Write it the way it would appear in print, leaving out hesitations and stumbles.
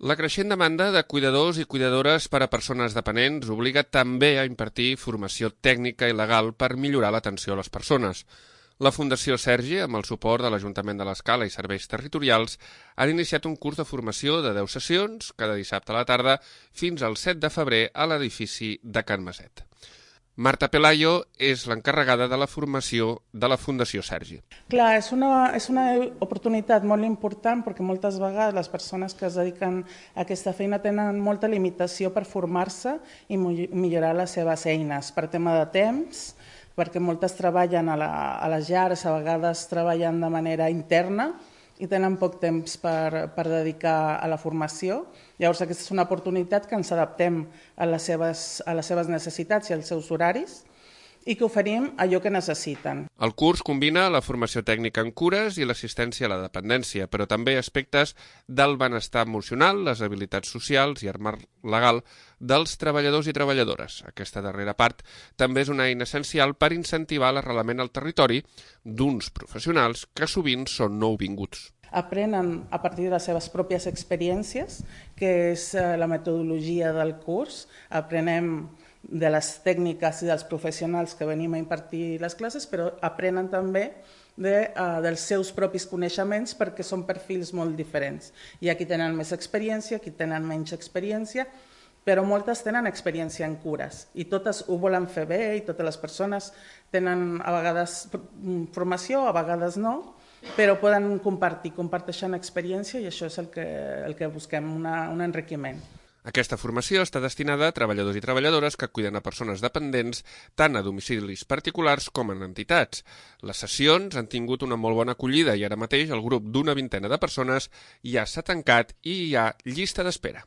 La creixent demanda de cuidadors i cuidadores per a persones dependents obliga també a impartir formació tècnica i legal per millorar l'atenció a les persones. La Fundació Sergi, amb el suport de l'Ajuntament de l'Escala i serveis territorials, han iniciat un curs de formació de 10 sessions, cada dissabte a la tarda, fins al 7 de febrer a l'edifici de Can Maset. Marta Pelayo és l'encarregada de la formació de la Fundació Sergi. Clar, és una oportunitat molt important perquè moltes vegades les persones que es dediquen a aquesta feina tenen molta limitació per formar-se i millorar les seves eines per tema de temps, perquè moltes treballen a les llars, a vegades treballen de manera interna i tenen poc temps per dedicar a la formació. Llavors aquesta és una oportunitat que ens adaptem a les seves necessitats i als seus horaris i que oferim allò que necessiten. El curs combina la formació tècnica en cures i l'assistència a la dependència, però també aspectes del benestar emocional, les habilitats socials i el marc legal dels treballadors i treballadores. Aquesta darrera part també és una eina essencial per incentivar l'arrelament al territori d'uns professionals que sovint són nouvinguts. Aprenen a partir de les seves pròpies experiències, que és la metodologia del curs. Aprenem de les tècniques i dels professionals que venim a impartir les classes, però aprenen també dels seus propis coneixements perquè són perfils molt diferents. Hi ha qui tenen més experiència, qui tenen menys experiència, però moltes tenen experiència en cures i totes ho volen fer bé i totes les persones tenen a vegades formació, a vegades no, però poden comparteixen experiència i això és el que busquem, un enriquiment. Aquesta formació està destinada a treballadors i treballadores que cuiden a persones dependents tant a domicilis particulars com en entitats. Les sessions han tingut una molt bona acollida i ara mateix el grup d'una vintena de persones ja s'ha tancat i hi ha llista d'espera.